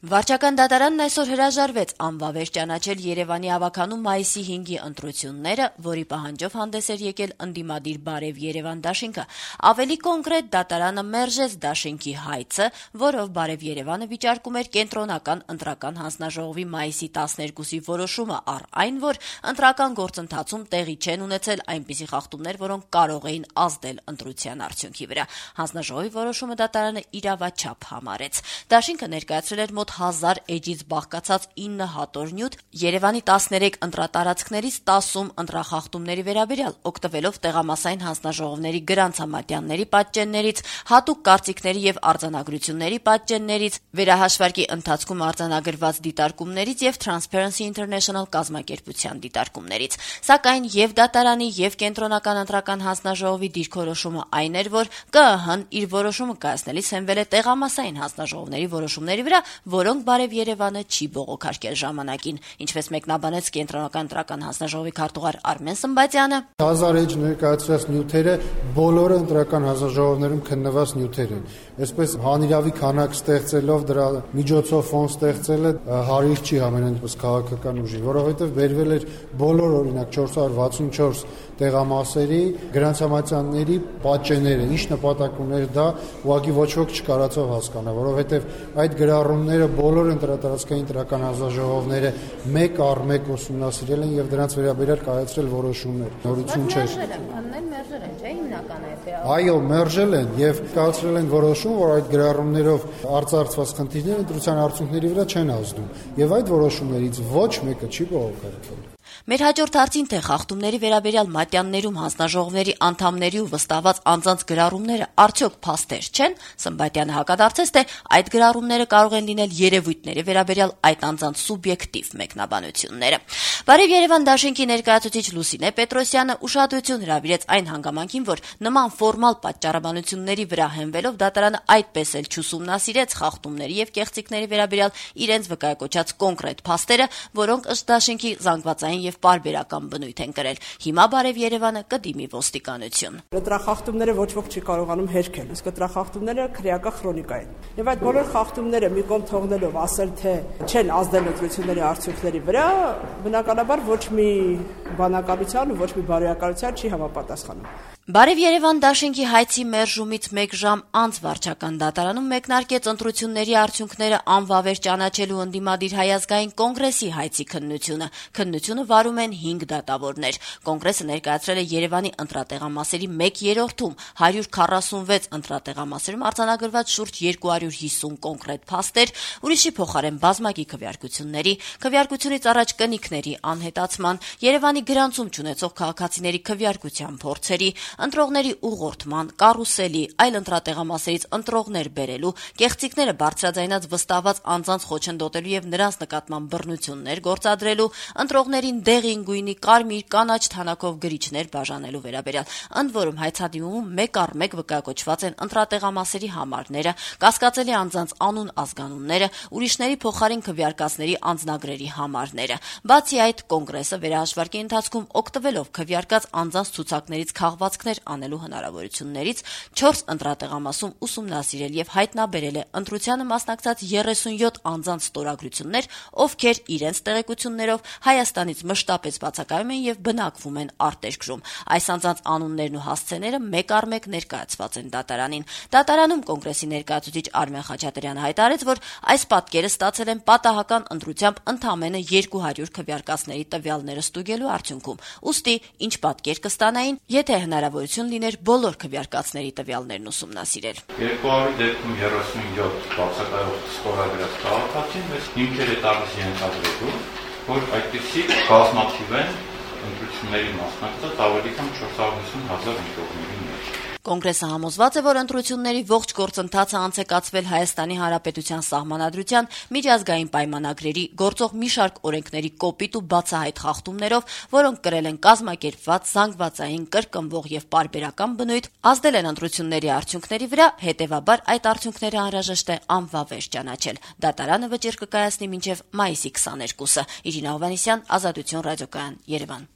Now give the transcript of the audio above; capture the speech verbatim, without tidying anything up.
Վարչական դատարանն այսօր հրաժարվեց անվավեր ճանաչել Երևանի ավագանու մայիսի հինգի ընտրությունները, որի պահանջով հանդես էր եկել ընդդիմադիր Բարև Երևան դաշինքը։ Ավելի կոնկրետ, դատարանը մերժեց դաշինքի հայցը, որով Բարև Երևանը վիճարկում էր կենտրոնական ընտրական հանձնաժողովի մայիսի տասներկուսի որոշումը, առ այն, որ ընտրական գործընթացում տեղի չեն ունեցել այնպիսի խախտումներ, որոնք կարող էին ազդել ընտրության արդյունքի վրա։ Հանձնաժողովի որոշումը դատարանը իրավաչափ համարեց։ Դաշինքը ներկայացրել էր մոտ հազար էջից բաղկացած ինը հատոր նյութ Երևանի տասներեք ընտրատարածքներից տասում ընտրախախտումների վերաբերյալ, օգտվելով տեղամասային հանձնաժողովների գրանցամատյանների պատճեններից, հատուկ կարծիքների եւ արձանագրությունների պատճեններից, վերահաշվարկի ընթացքում արձանագրված դիտարկումներից եւ Transparency International կազմակերպության դիտարկումներից։ Սակայն եւ դատարանի եւ կենտրոնական ընտրական հանձնաժողովի դիրքորոշումը այն էր, որ Կ ԸՀ-ն իր որոշումը կայացնելիս հենվել է տեղամասային հանձնաժողովների որոշումների վրա, որոնք Բարև Երևանը չի բողոքարկել ժամանակին, ինչպես մեկնաբանեց կենտրոնական ընտրական հանձնաժողովի քարտուղար Արմեն Սմբատյանը։ Հազար էջ ներկայացրած նյութերը բոլորը ընտրական հանձնաժողովներում քննված նյութեր են։ Այսպես հանիրավի քանակ ստեղծելով դրա միջոցով ֆոն ստեղծելը հարիր չի ամենայն քաղաքական ուժի, որովհետև բերվել էր բոլոր օրինակ չորս հարյուր վաթսունչորս տեղամասերի գրանցամատյանների պատճենները, ինչ նպատակ ուներ դա, ուղղակի ոչ ոք չկարողացավ հասկանալ, որովհետև այդ գրառումները բոլոր ընտրատարածքային ընտրական հանձնաժողովները մեկ առ մեկ ուսումնասիրել են եւ դրանց վերաբերյալ կայացրել որոշումներ։ Նորություն չէ։ Այո, մերժել են եւ կայացրել են որոշում, որ այդ գրառումներով արծարծված խնդիրները ընտրության արդյունքների վրա չեն ազդում եւ այդ որոշումներից ոչ մեկը չի բողոքարկվել։ Մեր հաջորդ հարցին, թե խախտումների վերաբերյալ մատյաններում հանձնաժողովների անդամների ու վստահված անձանց գրառումները արդյոք փաստեր չեն, Սմբատյանը հակադարձեց, թե այդ գրառումները կարող են լինել երևույթների վերաբերյալ այդ անձանց սուբյեկտիվ մեկնաբանությունները։ Բարև Երևան դաշինքի ներկայացուցիչ Լուսինե Պետրոսյանը ուշադրություն հրավիրեց այն հանգամանքին, որ նման ֆորմալ պատճառաբանությունների վրա հենվելով դատարանը այդպես էլ չուսումնասիրեց խախտումների եւ կեղծիքների վերաբերյալ իրենց վկայակոչած կոնկրետ փաստերը, որոնք ըստ դաշինքի զանգվածային եւ պարբերական բնույթ են կրել։ Հիմա Բարև Երևանը կդիմի ոստիկանություն։ Ընտրախախտումները ոչ ոք չի կարողանում հերքել, իսկ ընտրախախտումները քրեական քրոնիկա են։ Եվ այդ բոլոր խախտումները մի կողմ թողնելով ասել, թե չեն ազդել ընտրությունների արդյունքների վրա, բնականաբար ոչ մի բանականության ու ոչ մի բարոյականության չի համապատասխանում։ Բարև Երևան դաշինքի հայցի մերժումից մեկ ժամ անց վարչական դատարանում մեկնարկեց ընտրությունների արդյունքները անվավեր ճանաչելու ընդդիմադիր Հայ ազգային կոնգրեսի հայցի քննությունը։ Քննությունը վարում են հինգ դատավորներ։ Կոնգրեսը ներկայացրել է Երևանի ընտրատեղամասերի մեկ երրորդում հարյուր քառասունվեց ընտրատեղամասերում արձանագրված շուրջ երկու հարյուր հիսուն կոնկրետ փաստեր, ուրիշի փոխարեն բազմակի քվեարկությունների, քվեարկությունից առաջ կնիքների անհետացման, Երևանի գրանցում չունեցող քաղաքացիների քվեարկության փորձերի, ընտրողների ուղղորդման, կարուսելի, այլ ընտրատեղամասերից ընտրողներ բերելու, կեղծիքները բարձրաձայնած վստահված անձանց խոչընդոտելու եւ նրանց նկատմամբ բռնություններ գործադրելու, ընտրողներին դեղին գույնի, կարմիր, կանաչ թանաքով գրիչներ բաժանելու վերաբերյալ։ Ընդ որում հայցադիմումում մեկ առ մեկ վկայակոչված են ընտրատեղամասերի համարները, կասկածելի անձանց անուն ազգանունները, ուրիշների փոխարին քվեարկածների անձնագրերի համարները։ Բացի այդ, կոնգրեսը վերահաշվարկի ընթացքում օգտվելով քվեարկած անձանց ցուցակներից քաղվածքներ անելու հնարավորություններից չորս ընտրատեղամասում ուսումնասիրել եւ հայտնաբերել է ընտրությանը մասնակցած երեսունյոթ անձանց ստորագրություններ, ովքեր իրենց տեղեկություններով Հայաստանից մշտապես բացակայում են եւ բնակվում են արտերկրում։ Այս անձանց անուններն ու հասցեները մեկ առ մեկ ներկայացված են դատարանին։ Դատարանում կոնգրեսի ներկայացուցիչ Արմեն Խաչատրյանը հայտարարեց, որ այս պատկերը ստացել են պատահական ընտրությամբ ընդամենը երկու հարյուր քվեարկածների տվյալները ստուգելու արդյունքում։ Ուստի ինչ պատկեր կստանային, եթե հնարավորություն լիներ բոլոր քվեարկածների տվյալներն ուսումնասիրել։ երկու հարյուր դեպքում երեսունյոթ բացակայող ստորագրած քաղաքացին մեզ հիմքեր է տալիս ենթադրելու, որ այդպիսի բազմաթիվ են ընտրությունների մասնակցած ավելի քան չորս հարյուր հիսուն հազար ընտրողների մեջ։ Կոնգրեսը համոզված է, որ ընտրությունների ողջ գործընթացը անց է կացվել Հայաստանի Հանրապետության Սահմանադրության, միջազգային պայմանագրերի, գործող մի շարք օրենքների կոպիտ ու բացահայտ խախտումներով, որոնք կրել են կազմակերպված, զանգվածային, կրկնվող եւ պարբերական բնույթ, ազդել են ընտրությունների արդյունքների վրա, հետեւաբար այդ արդյունքները անհրաժեշտ է անվավեր ճանաչել։ Դատարանը վճիռ կկայացնի մինչեւ մայիսի քսաներկուսը։ Իրինա Հովհաննիսյան, Ազատություն ռադիոկայան, Երևան։